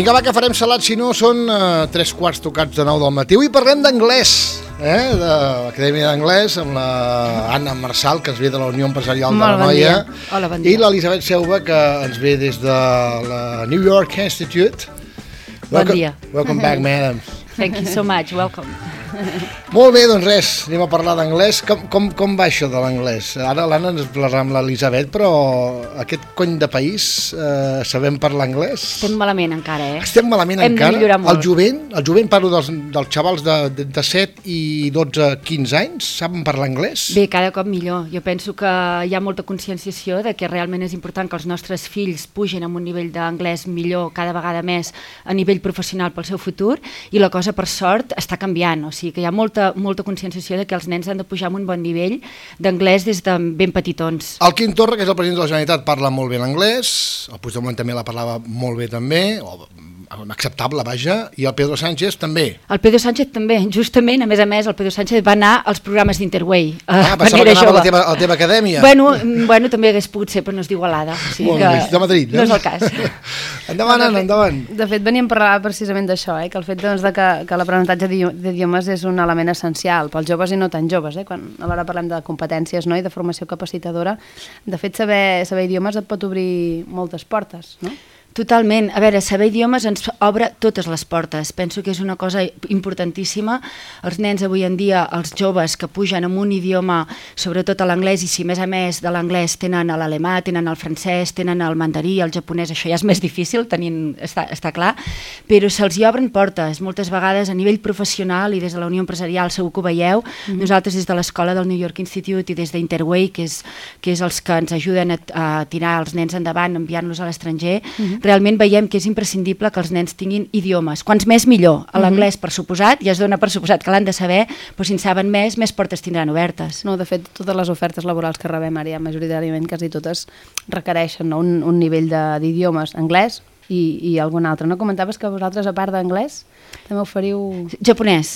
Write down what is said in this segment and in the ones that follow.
Vinga, va, que farem salat, si no són 3 quarts tocats de 9 del matí. Avui parlem d'anglès, de l'Acadèmia d'Anglès, amb la Anna Marsal, que ens ve de la Unió Empresarial de l'Anoia. Hola, bon dia. I l'Elisabet Seuba, que ens ve des de la New York Institute. Bon dia. Welcome back, madam. Thank you so much, welcome. Molt bé, doncs res, anem a parlar d'anglès. Com va això de l'anglès? Ara l'Anna ens parlarà amb l'Elisabet, però aquest cony de país sabem parlar anglès? Estem malament encara, Estem malament encara? Hem de millorar molt. El jovent parlo dels xavals de 7 i 12, 15 anys, saben parlar anglès? Bé, cada cop millor. Jo penso que hi ha molta conscienciació de que realment és important que els nostres fills pugin amb un nivell d'anglès millor cada vegada més a nivell professional pel seu futur, i la cosa, per sort, està canviant. O sigui que hi ha molta conscienciació de que els nens han de pujar amb un bon nivell d'anglès des de ben petitons. El Quim Torra, que és el president de la Generalitat, parla molt bé l'anglès, el Puigdemont també la parlava molt bé també, acceptable, vaja, i el Pedro Sánchez també. El Pedro Sánchez també, justament, a més, el Pedro Sánchez va anar als programes d'Interway. Pensava que anava a la teva acadèmia. Bueno, també hagués pogut ser, però no és d'Igualada. O sigui molt bé, de Madrid. No és el cas. Endavant, Anna, endavant. De fet, veníem a parlar precisament d'això, que el fet de que l'aprenentatge d'idiomes és un element essencial pels joves i no tan joves. Quan a l'hora parlem de competències, i de formació capacitadora, de fet, saber idiomes et pot obrir moltes portes, no? Totalment. A veure, saber idiomes ens obre totes les portes. Penso que és una cosa importantíssima. Els nens avui en dia, els joves que pugen amb un idioma, sobretot a l'anglès, i si més a més de l'anglès tenen l'alemà, tenen el francès, tenen el mandarí, el japonès, això ja és més difícil, està clar, però se'ls hi obren portes. Moltes vegades a nivell professional i des de la Unió Empresarial, segur que ho veieu, nosaltres des de l'escola del New York Institute i des d'Interway, que és els que ens ajuden a tirar els nens endavant, enviant-los a l'estranger, realment veiem que és imprescindible que els nens tinguin idiomes. Quants més, millor. A l'anglès, per suposat, ja es dona per suposat que l'han de saber, però si en saben més portes tindran obertes. No, de fet, totes les ofertes laborals que rebem ara, ja majoritàriament, quasi totes, requereixen un nivell d'idiomes, anglès i algun altre. No comentaves que vosaltres, a part d'anglès, també oferiu... Japonès.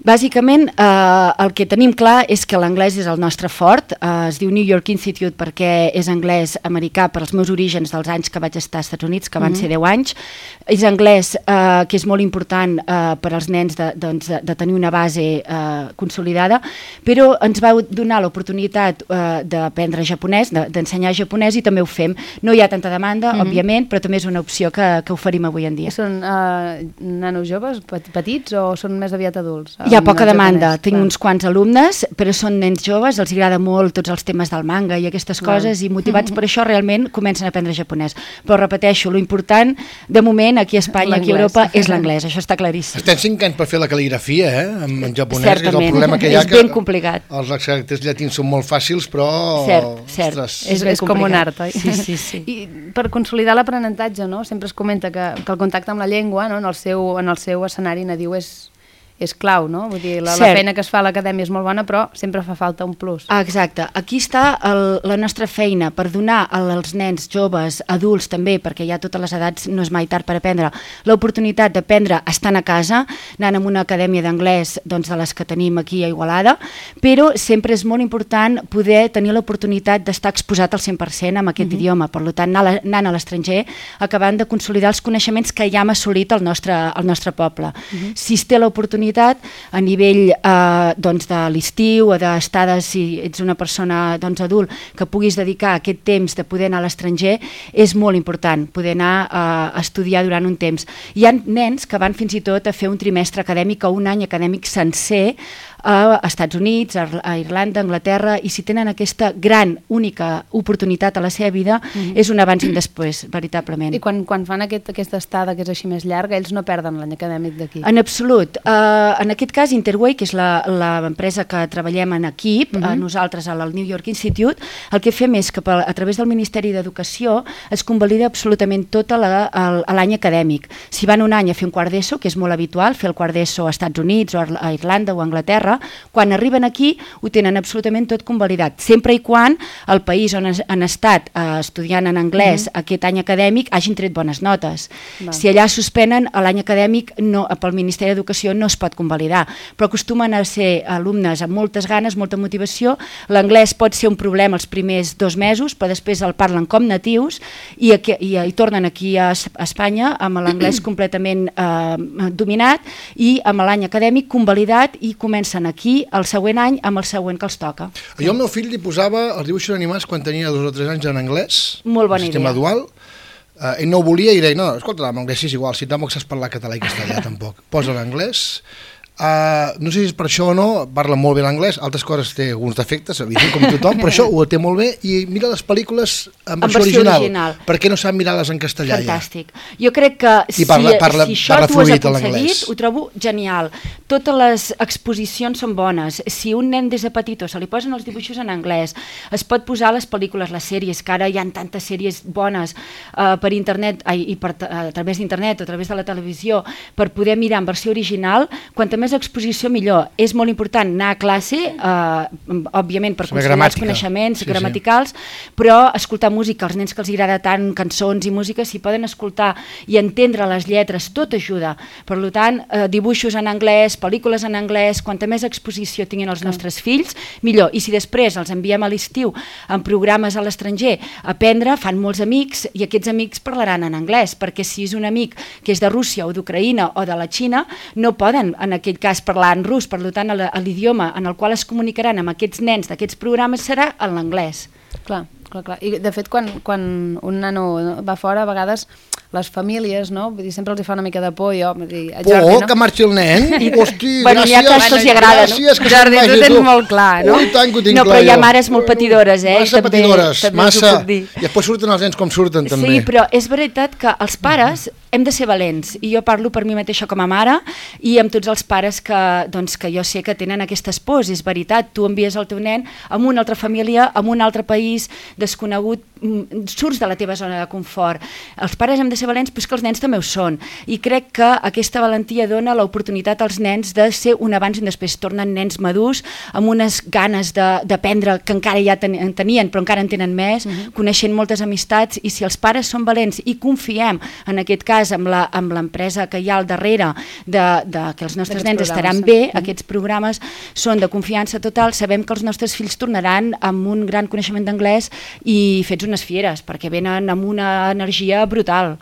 Bàsicament, el que tenim clar és que l'anglès és el nostre fort. Es diu New York Institute perquè és anglès americà per als meus orígens dels anys que vaig estar als Estats Units, que van ser 10 anys. És anglès, que és molt important per als nens de tenir una base consolidada, però ens va donar l'oportunitat d'aprendre japonès, d'ensenyar japonès, i també ho fem. No hi ha tanta demanda, òbviament, però també és una opció que oferim avui en dia. Són nanos joves, petits, o són més aviat adults? Hi ha poca demanda. Tinc uns quants alumnes, però són nens joves, els agrada molt tots els temes del manga i aquestes coses, i motivats per això realment comencen a aprendre japonès. Però repeteixo, l'important de moment aquí a Espanya, aquí a Europa, és l'anglès, això està claríssim. Estem 5 anys per fer la cal·ligrafia, en japonès, que és el problema que hi ha. És ben complicat. Els caràcters llatins són molt fàcils, però... Cert. És com un art, oi? Sí. I per consolidar l'aprenentatge, sempre es comenta que el contacte amb la llengua, en el seu escenari nadiu és clau, no? Vull dir, la feina que es fa a l'acadèmia és molt bona, però sempre fa falta un plus. Exacte. Aquí està la nostra feina per donar als nens, joves, adults també, perquè ja a totes les edats no és mai tard per aprendre, l'oportunitat d'aprendre estant a casa, anant a una acadèmia d'anglès de les que tenim aquí a Igualada, però sempre és molt important poder tenir l'oportunitat d'estar exposat al 100% amb aquest idioma. Per tant, anant a l'estranger, acabant de consolidar els coneixements que ja hem assolit al nostre poble. Si es té l'oportunitat a nivell de l'estiu o d'estades, si ets una persona adult, que puguis dedicar aquest temps de poder anar a l'estranger, és molt important poder anar a estudiar durant un temps. Hi ha nens que van fins i tot a fer un trimestre acadèmic o un any acadèmic sencer a Estats Units, a Irlanda, a Anglaterra, i si tenen aquesta gran, única oportunitat a la seva vida, és un abans i un després, veritablement. I quan fan aquesta estada que és així més llarga, ells no perden l'any acadèmic d'aquí? En absolut. En aquest cas, Interway, que és l'empresa que treballem en equip, nosaltres al New York Institute, el que fem és que a través del Ministeri d'Educació es convalida absolutament tot l'any acadèmic. Si van un any a fer un quart d'ESO, que és molt habitual, fer el quart d'ESO a Estats Units o a Irlanda o a Anglaterra, Anglaterra, quan arriben aquí ho tenen absolutament tot convalidat, sempre i quan el país on han estat estudiant en anglès aquest any acadèmic hagin tret bones notes. Si allà suspenen, l'any acadèmic pel Ministeri d'Educació no es pot convalidar, però acostumen a ser alumnes amb moltes ganes, molta motivació. L'anglès pot ser un problema els primers 2 mesos, però després el parlen com natius i tornen aquí a Espanya amb l'anglès completament dominat i amb l'any acadèmic convalidat i comencen aquí el següent any amb el següent que els toca. Jo al meu fill li posava els dibuixos animats quan tenia 2 o 3 anys en anglès, molt bona idea. Sistema dual. Ell no ho volia i deia, no, escolta, en anglès és igual, si tampoc saps parlar català i castellà tampoc, posa l'anglès. No sé si és per això o no, parla molt bé l'anglès, altres coses té alguns defectes, evident, com tothom, però això ho té molt bé i mira les pel·lícules en versió original. Per què no sap mirar-les en castellà? Fantàstic. Jo crec que si això tu has aconseguit, ho trobo genial. Totes les exposicions són bones. Si un nen des de petitó se li posen els dibuixos en anglès, es pot posar les pel·lícules, les sèries, que ara hi ha tantes sèries bones per internet, a través d'internet o a través de la televisió, per poder mirar en versió original, quanta més exposició millor. És molt important anar a classe, òbviament per consolidar els coneixements gramaticals, però escoltar música, als nens que els agrada tant cançons i música, si poden escoltar i entendre les lletres, tot ajuda. Per tant, dibuixos en anglès, pel·lícules en anglès, quanta més exposició tinguin els nostres fills, millor. I si després els enviem a l'estiu en programes a l'estranger a aprendre, fan molts amics i aquests amics parlaran en anglès, perquè si és un amic que és de Rússia o d'Ucraïna o de la Xina, no poden en aquell cas parlar en rus, per tant l'idioma en el qual es comunicaran amb aquests nens d'aquests programes serà en l'anglès. Clar. I de fet quan un nano va fora, a vegades les famílies, no? Vull dir, sempre els fa una mica de por. Por, que marxi el nen? Hosti, bueno, n'hi ha que els agrada, no? Jordi, tu tens molt clar, no? Ui, tant que ho tinc clar. No, però hi ha mares molt patidores, Massa patidores, massa. I després surten els nens com surten, també. Sí, però és veritat que els pares hem de ser valents, i jo parlo per mi mateixa com a mare i amb tots els pares que jo sé que tenen aquestes pors. És veritat, tu envies el teu nen a una altra família, a un altre país desconegut, surts de la teva zona de confort. Els pares hem de ser valents, però és que els nens també ho són, i crec que aquesta valentia dona l'oportunitat als nens de ser un abans i un després. Tornen nens madurs amb unes ganes d'aprendre que encara ja tenien, però encara en tenen més, coneixent moltes amistats, i si els pares són valents i confiem en aquest cas amb l'empresa que hi ha al darrere que els nostres nens estaran bé, aquests programes són de confiança total, sabem que els nostres fills tornaran amb un gran coneixement d'anglès i fets unes fieres, perquè venen amb una energia brutal.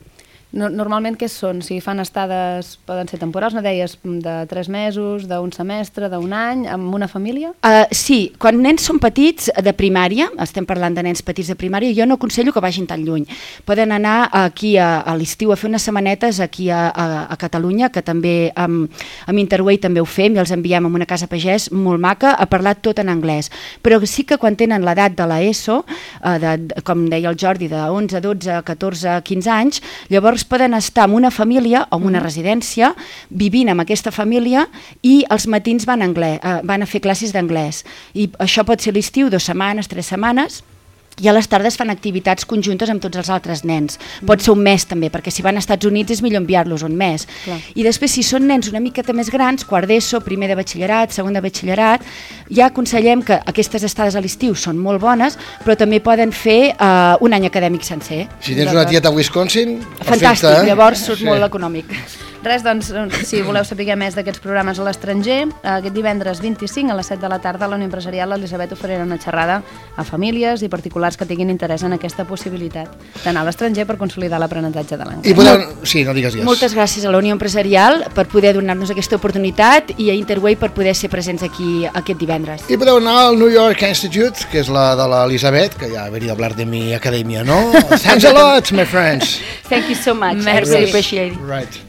Normalment què són? Si fan estades, poden ser temporals, no deies, de 3 mesos, d'un semestre, d'un any, amb una família? Sí, quan nens són petits de primària, estem parlant de nens petits de primària, jo no aconsello que vagin tan lluny. Poden anar aquí a l'estiu a fer unes setmanetes aquí a Catalunya, que també amb Interway també ho fem i els enviem a una casa pagès molt maca a parlar tot en anglès. Però sí que quan tenen l'edat de l'ESO, com deia el Jordi, de 11, 12, 14, 15 anys, llavors poden estar en una família o en una residència vivint amb aquesta família i els matins van a fer classes d'anglès. I això pot ser l'estiu, 2 setmanes, 3 setmanes, i a les tardes fan activitats conjuntes amb tots els altres nens. Pot ser un mes també, perquè si van als Estats Units és millor enviar-los un mes. I després, si són nens una miqueta més grans, quart d'ESO, primer de batxillerat, segon de batxillerat, ja aconsellem que aquestes estades a l'estiu són molt bones, però també poden fer un any acadèmic sencer. Si tens una tieta a Wisconsin, fantàstic, llavors surt molt econòmic. Res, doncs, si voleu saber més d'aquests programes a l'estranger, aquest divendres 25 a les 7 de la tarda a la Unió Empresarial l'Elisabet oferirà una xerrada a famílies i particulars que tinguin interès en aquesta possibilitat d'anar a l'estranger per consolidar l'aprenentatge de l'anglès. Sí, no digues Moltes gràcies a la Unió Empresarial per poder donar-nos aquesta oportunitat i a Interway per poder ser presents aquí aquest divendres. I podeu anar al New York Institute, que és la de l'Elisabet, que ja ha venido a hablar de mi academia, ¿no? Thanks a lot, my friends. Thank you so much. I really appreciate it. Right.